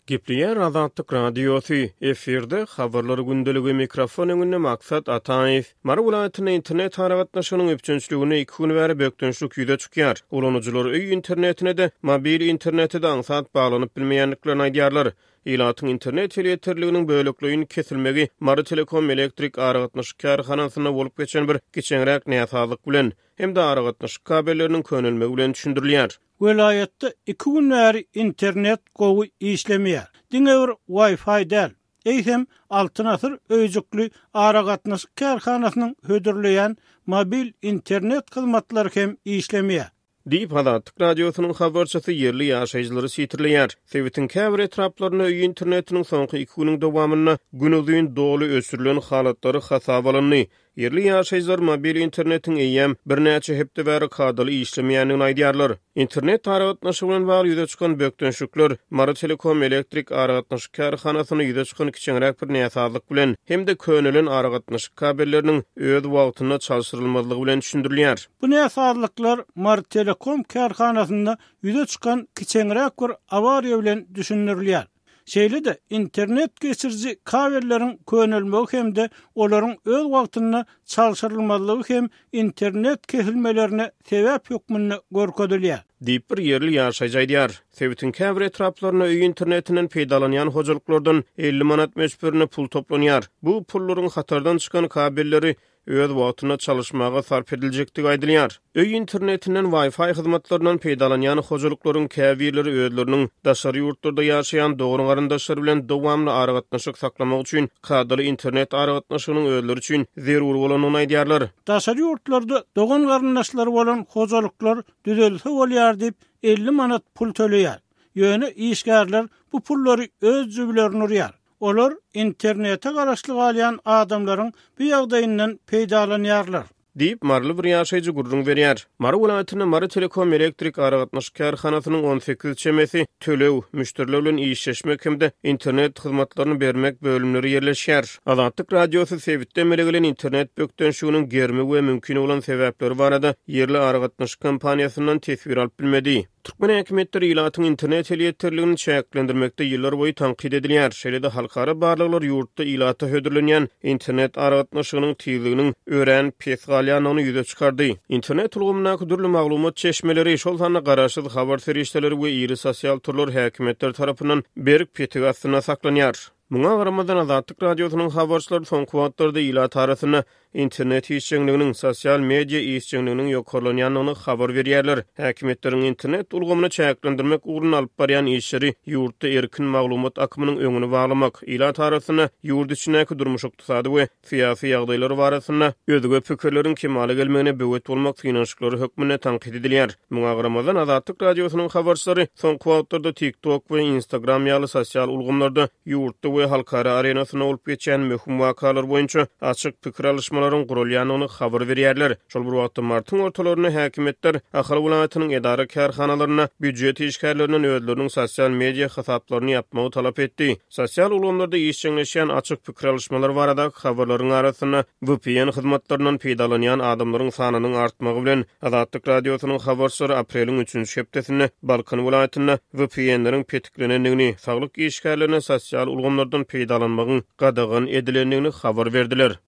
Gepleýär Azatlyk Radiosy, efirde Habarlar gündeligi, mikrofon öňünde Maksat Ataýew. Mary welaýatynda internet aragatnaşygynyň üpjünçiliginde iki gün bäri bökdençlik ýüze çykýar. Ulanyjylar öý internetine-de, mobil internete-de aňsat baglanyp bilmeýändiklerini aýdýarlar. Ilatyň internet elýeterliginiň bölekleýin kesilmegi Marytelekom elektrik aragatnaşyk kärhanasynda bolup geçen bir kiçeňräk näsazlyk bilen hem-de aragatnaşyk kabelleriniň könelmegi bilen düşündirilýär. Welaýatda iki gün bäri internet gowy işlemeýär. Diňe bir Wi-Fi däl, eýsem Altyn asyr öýjükli aragatnaşyk kärhanasynyň hödürleýän mobil internet hyzmatlary hem işlemeýär. Diýip, Azatlyk Radiosynyň habarçysy ýerli ýaşaýjylary sitirleýär. Sebitiň käbir etraplarynda öý internetiniň soňky iki günüň dowamynda günuzyn doly öçürilen halatlary hasaba alyndy. Ýerli ýaşaýjylar mobil internetiň eýýäm birnäçe hepde bäri kadaly işlemeýändigini aýdýarlar. Internet aragatnaşygy bilen bagly ýüze çykan bökdençlikler Marytelekom elektrik aragatnaşyk kärhanasynda ýüze çykan kiçeňräk bir näsazlyk bilen hem-de könelen aragatnaşyk kabelleriniň öz wagtynda çalşyrylmazlygy bilen düşündirilýär. Bu näsazlyklar Marytelekom kärhanasynda ýüze çykan kiçeňräk bir awariýa bilen düşündirilýär. Şeýle-de, internet geçiriji kabelleriň könelmegi hem-de olaryň öz wagtynda çalşyrylmazlygy hem internet kesilmelerine sebäp hökmünde görkezilýär. Diýip, bir ýerli ýaşaýjy aýdýar. Sebitiň käbir etraplarynda öý internetinden peýdalanýan hojalyklardan 50 manat möçberinde pul toplanýar. Bu pullaryň hatardan çykan kabelleri öz wagtynda çalyşmaga sarp ediljekdigi aýdylýar. Öý internetinden, Wi-Fi hyzmatlaryndan peýdalanýan hojalyklaryň käbirleri özleriniň daşary ýurtlarda ýaşaýan dogan-garyndaşlary bilen dowamly aragatnaşyk saklamak üçin kadaly internet aragatnaşygynyň özleri üçin zerur bolandygyny aýdýarlar. Daşary ýurtlarda dogan-garyndaşlary bolan hojalyklar düzelse bolýar diýip, 50 manat pul töleýär. Ýöne işgärler bu pullary öz jübülerine urýar. Olar internete garaşly galýan adamlaryň bu ýagdaýyndan peýdalanýarlar. Diýip, maryly bir ýaşaýjy gürrüň berýär. Mary welaýatynda Marytelekom elektrik aragatnaşyk kärhanasynyň 18 çemesi töleg, müşderiler bilen işleşmek hem-de internet hyzmatlaryny bermek bölümleri ýerleşýär. Azatlyk Radiosy sebitde emele gelen internet bökdençliginiň gerimi we mümkin bolan sebäpleri barada ýerli aragatnaşyk kompaniýasyndan teswir alyp bilmedi. Türkmen häkimiýetleri ilatyň internet elýeterligini çäklendirmekde ýyllarboýy tankyt edilýär. Şeýle-de halkara barlaglar ýurtda ilata hödürlenýän internet aragatnaşygynyň tizliginiň örän pes galýandygyny ýüze çykardy. Internet ulgamyndaky dürli maglumat çeşmeleri, şol sanda garaşsyz habar serişdeleri we iri sosial torlar häkimiýetler tarapyndan berk petik astynda saklanýar. Muňa garamazdan, Azatlyk Radiosynyň habarçylary soňky wagtlarda ilat arasynda internet işjeňliginiň, sosial media işjeňliginiň ýokarlanýandygyny habar berýärler. Häkimiýetleriň internet ulgamyny çäklendirmek ugrunda alyp barýan işleri ýurtda erkin maglumat akymynyň öňüni baglamak, ilat arasynda ýurt içindäki durmuş-ykdysady we syýasy ýagdaýlar barasynda özge pikirleriň kemala gelmegine böwet bolmak synanyşyklary hökmünde tankyt edilýär. Muňa garamazdan, Azatlyk Radiosynyň habarçylary soňky wagtlarda TikTok we Instagram ýaly sosial ulgamlarda ýurtda we halkara arenasynda bolup geçýän möhüm wakalar boýunça açyk pikir alyşmalaryň guralýandygyny habar berýärler. Şol bir wagtda, martyň ortalarynda häkimiýetler Ahal welaýatynyň edara-kärhanalarynda býujet işgärlerinden özleriniň sosial media hasaplaryny ýapmagy talap etdi. Sosial ulgamlarda işjeňleşýän açyk pikir alyşmalar baradaky habarlaryň arasynda vpn hyzmatlaryndan peýdalanýan adamlaryň sanynyň artmagy bilen, Azatlyk Radiosynyň habarçylary apreliň üçünji hepdesinde Balkan welaýatynda VPN-leriň petiklenendigini, saglyk işgärlerine sosial ulgamlardan peýdalanmagyň gadagan edilendigini habar berdiler.